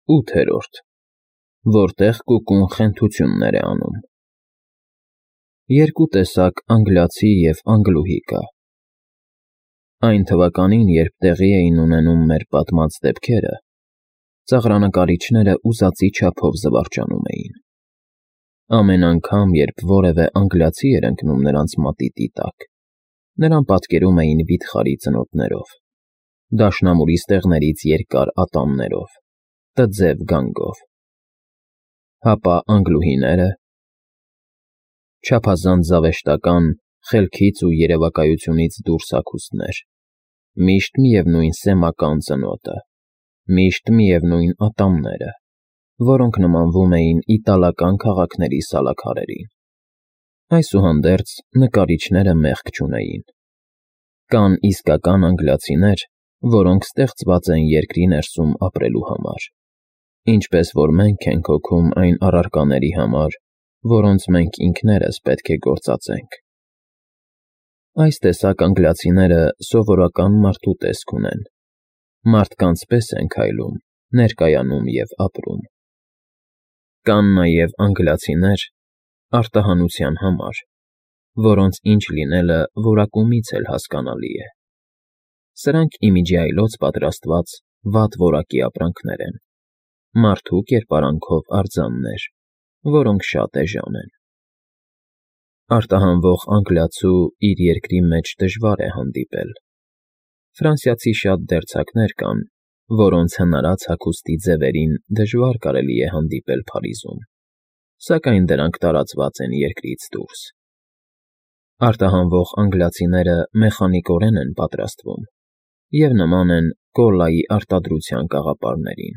8. Որտեղ կուկուն խենթություններ է անում։ Երկու տեսակ անգլիացի և անգլուհի կա։ Այն թվականին, երբ տեղի էին ունենում մեր պատմած դեպքերը, ծաղրանկարիչները ուզածի չափով զվարճանում էին։ Ամեն անգամ, երբ որևէ անգլիացի էր ընկնում նրանց մատիտի տակ, նրան պատկերում էին վիթխարի ծնոտներով, դաշնամուրի ստեղներից երկար ատամներով, տձև գանգով։ Հապա անգլուհիները… Չափազանց զավեշտական, խելքից ու երևակայությունից դուրս հագուստներ, միշտ միևնույն սեմական ծնոտը, միշտ միևնույն ատամները, որոնք նմանվում էին իտալական քաղաքների սալաքարերին։ Այսուհանդերձ, նկարիչները մեղք չունեին։ Կան իսկական անգլիացիներ, որոնք ստեղծված են երկրի ներսում ապրելու համար, ինչպես որ մենք ենք հոգում այն առարկաների համար, որոնց մենք ինքներս պետք է գործածենք։ Այս տեսակ անգլիացիները սովորական մարդու տեսք ունեն, մարդկանց պես են քայլում, ներկայանում և ապրում։ Կան նաև անգլիացիներ, արտահանության համար, որոնց ինչ լինելը որակումից էլ հասկանալի է։ Սրանք իմիջի այլոց պատրաստված վատ որակի ապրանքներ են, մարդու կերպարանքով արձաններ, որոնք շատ էժան են։ Արտահանվող անգլիացու իր երկրի մեջ դժվար է հանդիպել։ Ֆրանսիացի շատ դերձակներ կան, որոնց հնարած հագուստի ձևերին դժվար կարելի է հանդիպել Փարիզում, սակայն դրանք տարածված են երկրից դուրս։ Արտահանվող անգլիացիները մեխանիկորեն են պատրաստվում և նման են կոլայի արտադրության կաղապարներին,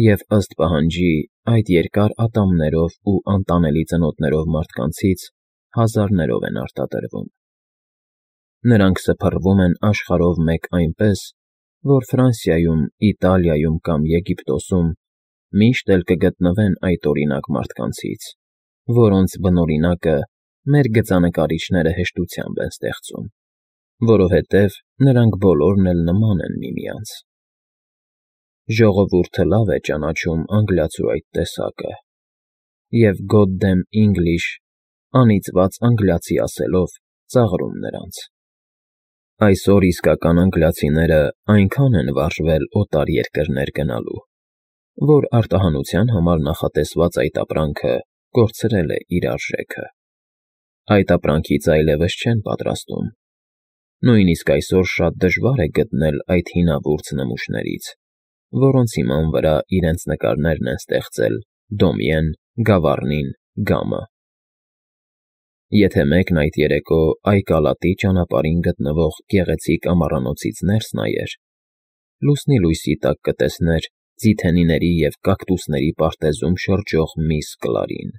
և ըստ պահանջի այդ երկար ատամներով ու անտանելի ծնոտներով մարդկանցից հազարներով են արտադրվում։ Նրանք սփռվում են աշխարհով մեկ այնպես, որ Ֆրանսիայում, Իտալիայում կամ Եգիպտոսում միշտ էլ կգտնվեն այդ օրինակ մարդկանցից, որոնց բնօրինակը մեր գծանկարիչները հեշտությամբ են ստեղծում, որովհետև նրանք բոլորն էլ նման են միմյանց։ Ժողովուրդը լավ է ճանաչում անգլիացու այդ տեսակը և «God damn English» անիծված անգլիացի ասելով ծաղրում նրանց։ Այսօր իսկական անգլիացիները այնքան են վարժվել օտար երկրներ գնալու, որ արտահանության համար նախատեսված այդ ապրանքը կորցրել է իր արժեքը։ Այդ ապրանքից այլևս չեն պատրաստում։ Նույնիսկ այսօր շատ դժվար է գտնել այդ հինավուրց նմուշներից, որոնց հիման վրա իրենց նկարներն են ստեղծել Դոմիեն, Գավառնին, Գամը։ Եթե մեկն այդ երեկո Այկալատի ճանապարհին գտնվող գեղեցիկ ամառանոցից ներս նայեր, լուսնի լույսի տակ կտեսներ ձիթենիների և կակտուսների պարտեզում շրջող միս Կլարին։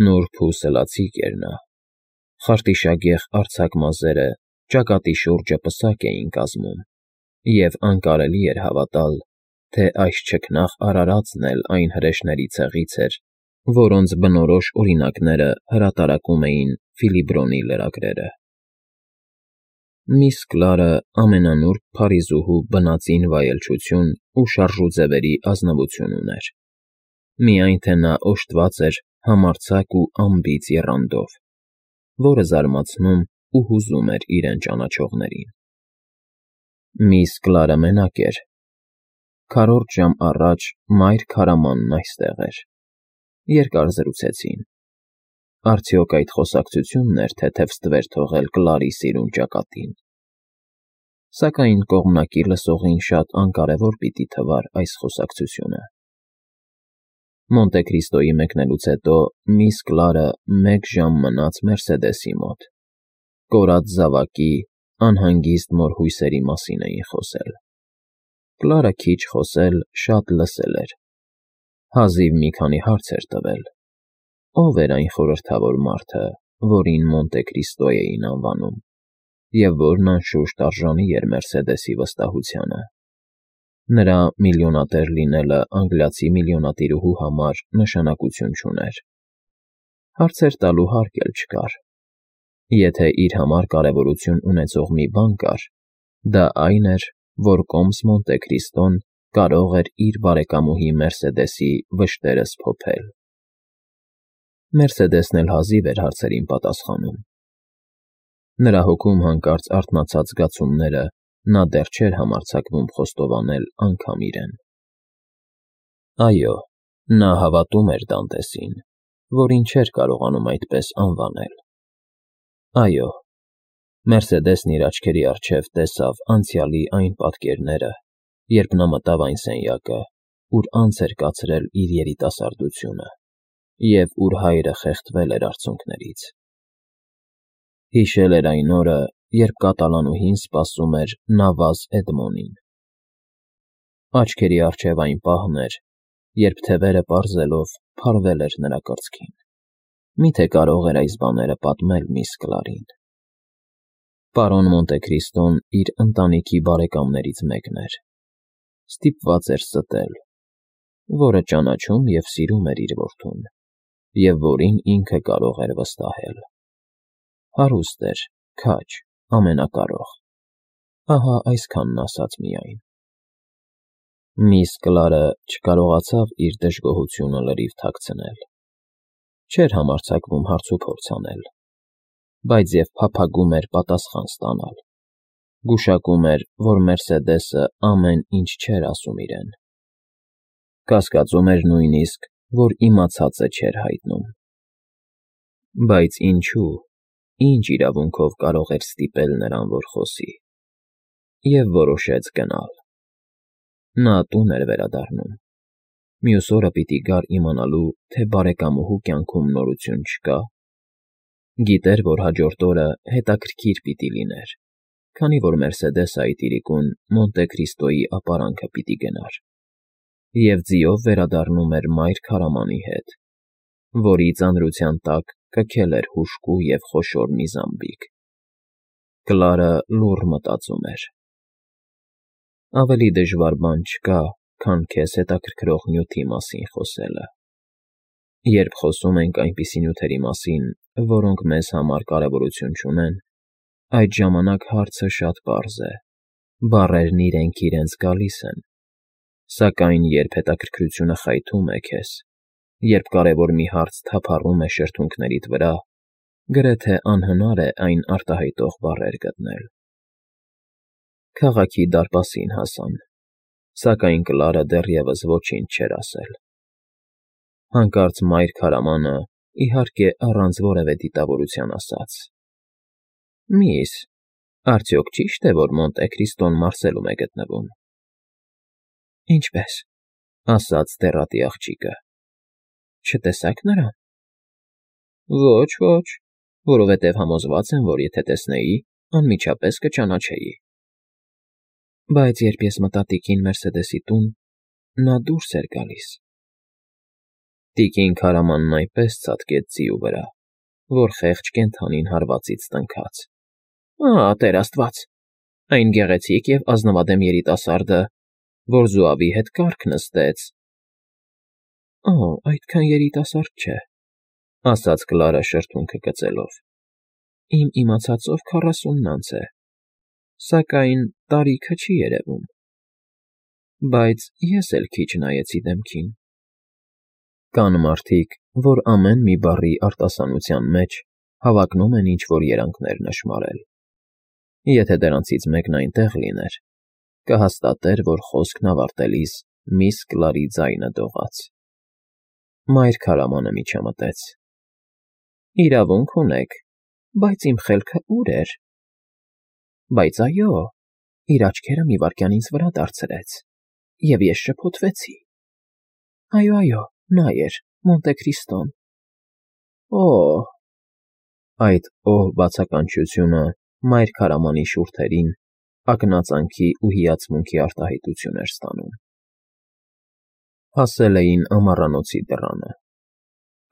Նուրբ ու սլացիկ էր նա։ Խարտիշագեղ արձակ մազերը ճակատի շուրջը պսակ էին կազմում, և անկարելի էր հավատալ, թե այս չքնաղ արարածն էլ այն հրեշների ցեղից էր, որոնց բնորոշ օրինակները հրատարակում էին Ֆիլիբրոնի լրագրերը։ Միս Կլարը ամենանուրբ փարիզուհու բնածին վայելչություն ու շարժուձևերի ազնվություն ուներ, միայն թե նա օժտված էր համարձակ ու անբիծ եռանդով, որը զարմացնում ու հուզում էր իրեն ճանաչողներին։ Միս Կլարը մենակ էր։ Քառորդ ժամ առաջ մայր քարամանն այստեղ էր։ Երկար զրուցեցին։ Արդյոք այդ խոսակցությունն էր թեթև ստվեր թողել Կլարի սիրուն ճակատին։ Սակայն կողմնակի լսողին շատ անկարևոր պիտի թվար այս խոսակցությունը։ Մոնտե Քրիստոյի մեկնելուց հետո միս Կլարը 1 ժամ մնաց Մերսեդեսի մոտ։ Կորած զավակի, անհանգիստ մորհույսերի մասին էին խոսել։ Կլարը քիչ խոսել, շատ լսել էր։ Հազիվ մի քանի հարց էր տվել. ով էր այն խորհրդավոր մարդը, որին Մոնտե Քրիստո էին անվանում, և որն անշուշտ արժանի էր Մերսեդեսի վստահությանը։ Նրա միլիոնատեր լինելը անգլիացի միլիոնատիրուհու համար նշանակություն չուներ։ Հարցեր տալու հարկ էլ չկար։ Եթե իր համար կարևորություն ունեցող մի բան կար, դա այն էր, որ կոմս Մոնտե Քրիստոն կարող էր իր բարեկամուհի Մերսեդեսի վշտերը սփոփել։ Մերսեդեսն էլ հազիվ էր հարցերին պատասխանում։ Նրա հոգում հանկարծ արթնացած զգացումները նա դեռ չէր համարձակվում խոստովանել անգամ իրեն։ Այո, նա հավատում էր Դանտեսին, որին չէր կարողանում այդպես անվանել։ Այո, Մերսեդեսն իր աչքերի առջև տեսավ անցյալի այն պատկերները, երբ նա մտավ այն սենյակը, ուր անց էր կացրել իր երիտասարդությունը, և ուր հայրը խեղդվել էր արցունքներից։ Հիշել էր այն օրը, երբ կատալանուհին սպասում էր Նավազ Էդմոնին։ Աչքերի առջև այն պահն էր, երբ թևերը պարզելով փարվել էր նրա կրծքին։ Միթե կարող էր այս բաները պատմել միս Կլարին։ Պարոն Մոնտեքրիստոն իր ընտանիքի բարեկամներից մեկն էր։ Ստիպված էր ստել, որը ճանաչում և սիրում էր իր որդուն, և որին ինքը կարող էր վստահել։ Հարուստ էր, քաջ, ամենակարող։ Ահա այսքանն ասաց միայն։ Միս Կլարը չկարողացավ իր դժգոհությունը լրիվ թաքցնել։ Չէր համարձակվում հարցուփորձ անել, բայց և փափագում էր պատասխան ստանալ։ Գուշակում էր, որ Մերսեդեսը ամեն ինչ չէր ասում իրեն։ Կասկածում էր նույնիսկ, որ իմացածը չէր հայտնում։ Բայց ինչու, ինչ իրավունքով կարող էր ստիպել նրան, որ խոսի։ Եվ որոշեց գնալ։ Նա տուն էր վերադառնում։ Մյուս օրը պիտի գար իմանալու, թե բարեկամուհու կյանքում նորություն չկա։ Գիտեր, որ հաջորդ օրը հետաքրքիր պիտի լիներ, քանի որ Մերսեդեսը այդ իրիկուն Մոնտեքրիստոյի ապարանքը պիտի գնար, և ձիով վերադառնում էր մայր քարամանի հետ, որի ծանրության տակ կքել էր հուժկու և խոշոր մի զամբիկ։ Կլարը լուռ մտածում էր. ավելի դժվար բան չկա, քան քեզ հետաքրքրող նյութի մասին խոսելը։ Երբ խոսում ենք այնպիսի նյութերի մասին, որոնք մեզ համար կարևորություն չունեն, այդ ժամանակ հարցը շատ պարզ է, բառերն իրենք իրենց գալիս են, սակայն երբ հետաքրքրությունը խայթում է քեզ, երբ կարևոր մի հարց թափառում է շրթունքներիդ վրա, գրեթե անհնար է այն արտահայտող բառեր գտնել։ Քաղաքի դարպասին հասան, սակայն Կլարը դեռևս ոչինչ չէր ասել։ Հանկարծ մայր քարամանը, իհարկե առանց որևէ դիտավորության ասաց. «Միս, արդյոք ճի՞շտ է, որ Մոնտեքրիստոն Մարսելում է գտնվում»։ «Ինչպե՞ս», ասաց դեռատի աղջիկը։ «Չտեսա՞ք նրան»։ «Ոչ, ոչ, որովհետև համոզված եմ, որ եթե տեսնեի, անմիջապես կճանաչեի»։ «Բայց երբ ես մտա տիկին Մերսեդեսի տուն, նա դուրս էր գալիս»։ Տիկին քարամանն այնպես ցատկեց ձիու վրա, որ խեղճ կենդանին հարվածից տնքաց։ «Ա, Տեր Աստված, այն գեղեցիկ և ազնվադեմ երիտասարդը, որ զոավի հետ կառք նստեց»։ «Օ, այդքան երիտասարդ չէ», ասաց Կլարը շրթունքը գծելով։ «Իմ իմացածով 40-ն անց է, սակայն տարիքը չի երևում։ Բայց ես էլ քիչ նայեցի դեմքին»։ Կան մարդիկ, որ ամեն մի բառի արտասանության մեջ հավակնում են ինչ-որ երանգներ նշմարել։ Եթե դրանցից մեկն այնտեղ լիներ, կհաստատեր, որ խոսքն ավարտելիս միս Կլարի ձայնը դողաց։ Մայր քարամանը միջամտեց. «Իրավունք ունեք, բայց իմ խելքը ուր էր»։ «Բայց այո», իր աչքերը մի վայրկյան ինձ վրա դարձրեց, և ես շփոթվեցի։ «Այո, նա էր, Մոնտեքրիստոն»։ «Օ՜»։ Այդ «օ» բացականչությունը մայր քարամանի շուրթերին ակնածանքի ու հիացմունքի արտահայտություն էր ստանում։ Հասել էին ամառանոցի դռանը։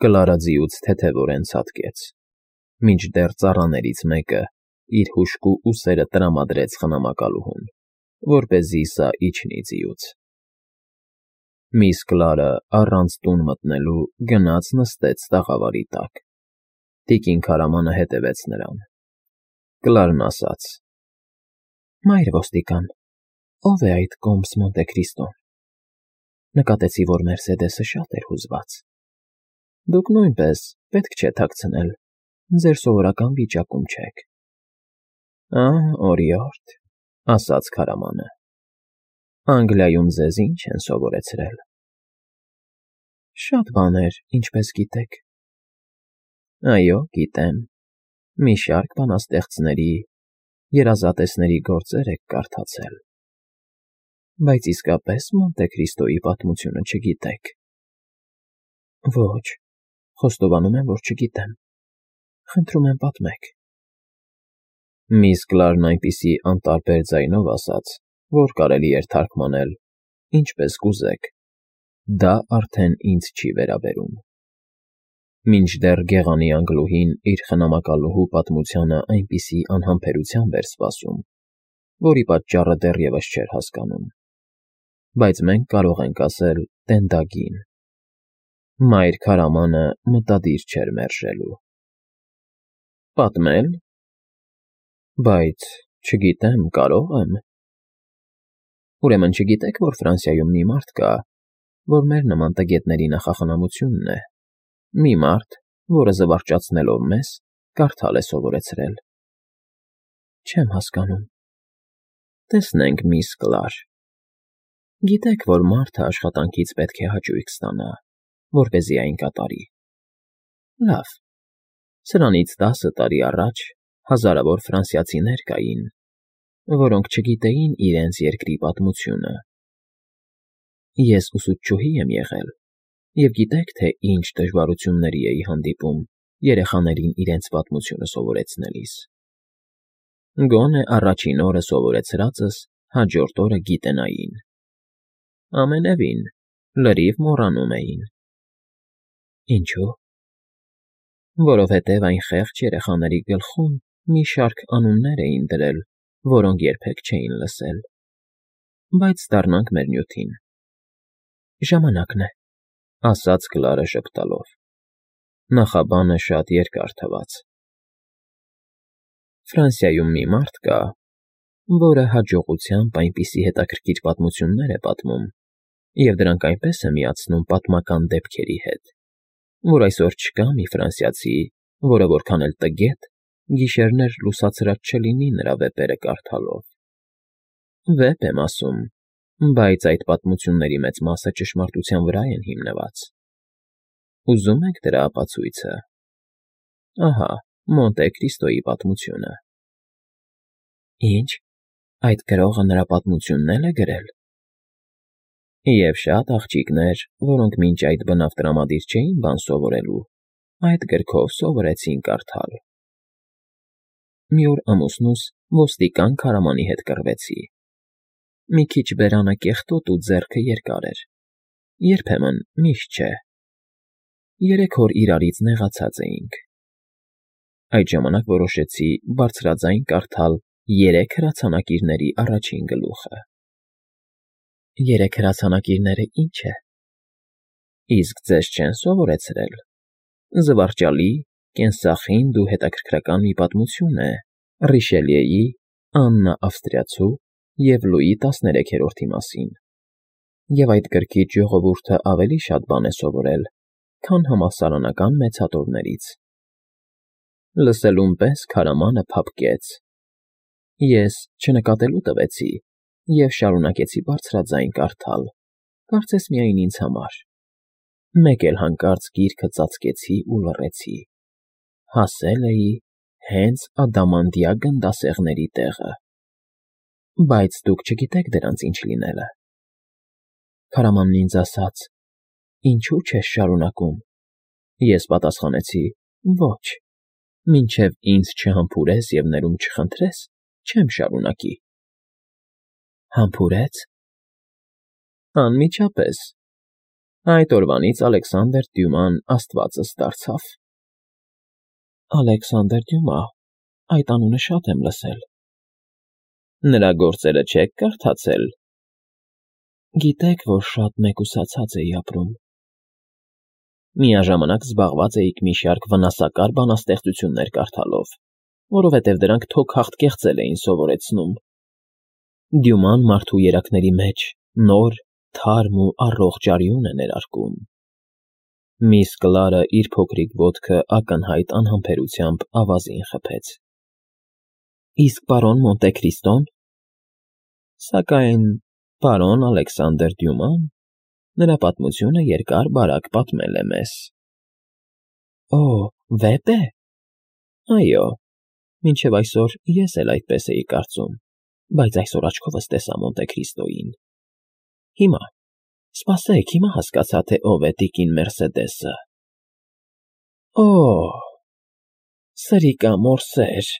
Կլարը ձիուց թեթևորեն ցատկեց, մինչդեռ ծառաներից մեկը իր հուժկու ուսերը տրամադրեց խնամակալուհուն, որպեսզի սա իջնի ձիուց։ Միս Կլարը առանց տուն մտնելու գնաց նստեց տաղավարի տակ։ Տիկին քարամանը հետևեց նրան։ Կլարն ասաց. «Մայր ոստիկան, ո՞վ է այդ Կոմս Մոնտեքրիստոն»։ Նկատեցի, որ Մերսեդեսը շատ էր հուզված։ Դուք նույնպես պետք չէ թաքցնել, ձեր սովորական վիճակում չեք։ Օրիորդ, ասաց քարամանը։ Անգլիայում ձեզ ինչ են սովորեցրել։ Շատ բաներ, ինչպես գիտեք։ Այո, գիտեմ։ Մի շարք բանաստեղծների, երազատեսների գործեր եք կարդացել։ Բայց իսկապես Մոնտե Քրիստոյի պատմությունը չգիտեք։ Ոչ, խոստովանում եմ, որ չգիտեմ։ Խնդրում եմ պատմեք։ Միս Կլարն այնպիսի անտարբեր ձայնով ասաց, որ կարելի էր թարգմանել, ինչպես կուզեք։ Դա արդեն ինձ չի վերաբերում։ Մինչդեռ գեղանի անգլուհին իր խնամակալուհու պատմությանը այնպիսի անհամբերությամբ էր սպասում, որի պատճառը դեռևս չէր հասկանում։ Բայց մենք կարող ենք ասել տենդագին։ Մայր քարամանը մտադիր չէր մերժելու։ Պատմել։ Բայց չգիտեմ, կարող եմ։ Ուրեմն չգիտեք, որ Ֆրանսիայում մի մարդ կա, որ մեր նման տգետների նախախնամությունն է։ Մի մարդ, որը զվարճացնելով մեզ, կարդալ է սովորեցրել։ Չեմ հասկանում։ Տեսնենք, միս Կլար։ Գիտեք, որ մարդը աշխատանքից պետք է հաճույք ստանա, որպեսզի այն կատարի։ Լավ։ Սրանից 10 տարի առաջ հազարավոր ֆրանսիացիներ կային, որոնք չգիտեին իրենց երկրի պատմությունը։ Ես ուսուցչուհի եմ եղել, և գիտեք, թե ինչ դժվարությունների էի հանդիպում երեխաներին իրենց պատմությունը սովորեցնելիս։ Գոնե առաջին օրը սովորեցրածս հաջորդ օրը գիտենային։ Ամենևին, լրիվ մոռանում էին։ Ինչու՞։ Որովհետև այն խեղճ երեխաների գլխում մի շարք անուններ էին դրել, որոնք երբեք չէին լսել։ Բայց դառնանք մեր նյութին։ Ժամանակն է, ասաց Կլարը ժպտալով։ Նախաբանը շատ երկար թվաց։ Ֆրանսիայում մի մարդ կա, որը հաջողությամբ այնպիսի հետաքրքիր պատմություններ է պատմում, և դրանք այնպես է միացնում պատմական դեպքերի հետ, որ այսօր չկա մի ֆրանսիացի, որը որքան էլ տգետ, գիշերներ լուսացրած չլինի նրա վեպերը կարդալով։ Վեպ եմ ասում, բայց այդ պատմությունների մեծ մասը ճշմարտության վրա են հիմնված։ Ուզում եք դրա ապացույցը։ Ահա, Մոնտե Քրիստոյի պատմությունը։ Ինչ, այդ գրողը նրա պատմությունն էլ է գրել։ Եվ շատ աղջիկներ, որոնք մինչ այդ բնավ տրամադիր չէին բան սովորելու, այդ գրքով սովորեցին կարդալ։ Մի օր ամուսնուս ոստիկան քարամանի հետ կռվեցի։ Մի քիչ բերանը կեղտոտ ու ձեռքը երկար էր։ Երբեմն միշտ չէ։ 3 օր իրարից նեղացած էինք։ Այդ ժամանակ որոշեցի բարձրաձայն կարդալ 3 հրացանակիրների առաջին գլուխը։ 3 հրացանակիրները ի՞նչ է։ Իսկ ձեզ չեն սովորեցրել։ Զվարճալի, կենսախինդ ու հետաքրքրական մի պատմություն է Ռիշելիեի, Աննա Ավստրիացու և Լուի 13-րդի մասին։ Եվ այդ գրքից ժողովուրդը ավելի շատ բան է սովորել, քան համալսարանական մեծհատորներից։ Լսելուն պես քարամանը փափկեց։ Ես չնկատելու տվեցի և շարունակեցի բարձրաձայն կարդալ, կարծես միայն ինձ համար։ Մեկ էլ հանկարծ գիրքը ծածկեցի ու լռեցի։ Հասել էի հենց ադամանդյա գնդասեղների տեղը։ Բայց դուք չգիտեք դրանց ինչ լինելը։ Քարամանն ինձ ասաց. Ինչու՞ չես շարունակում։ Ես պատասխանեցի. Ոչ, մինչև ինձ չհամբուրես և ներում չխնդրես, չեմ շարունակի։ Համբուրե՞ց։ Անմիջապես։ Այդ օրվանից Ալեքսանդր Դյուման աստվածս դարձավ։ Ալեքսանդր Դյումա, այդ անունը շատ եմ լսել։ Նրա գործերը չեք կարդացել։ Գիտեք, որ շատ մեկուսացած էի ապրում։ Միաժամանակ զբաղված էիք մի շարք վնասակար բանաստեղծություններ կարդալով, որովհետև դրանք թոքախտ կեղծել էին սովորեցնում։ Դյուման մարդու երակների մեջ նոր, թարմ ու առողջ արյուն է ներարկում։ Միս Կլարը իր փոքրիկ ոտքը ակնհայտ անհամբերությամբ ավազին խփեց։ Իսկ պարոն Մոնտեկրիստո՞ն։ Սակայն պարոն Ալեքսանդր Դյուման, նրա պատմությունը երկար֊բարակ պատմել է մեզ։ Օ, վեպ է։ Այո, մինչև այսօր ես էլ այդպես էի կարծում, բայց այսօր աչքովս տեսա Մոնտեկրիստոյին։ Հիմա, սպասեք, հիմա հասկացա, թե ով է տիկին Մերսեդեսը։ Օ՜, սրիկա մորսեր։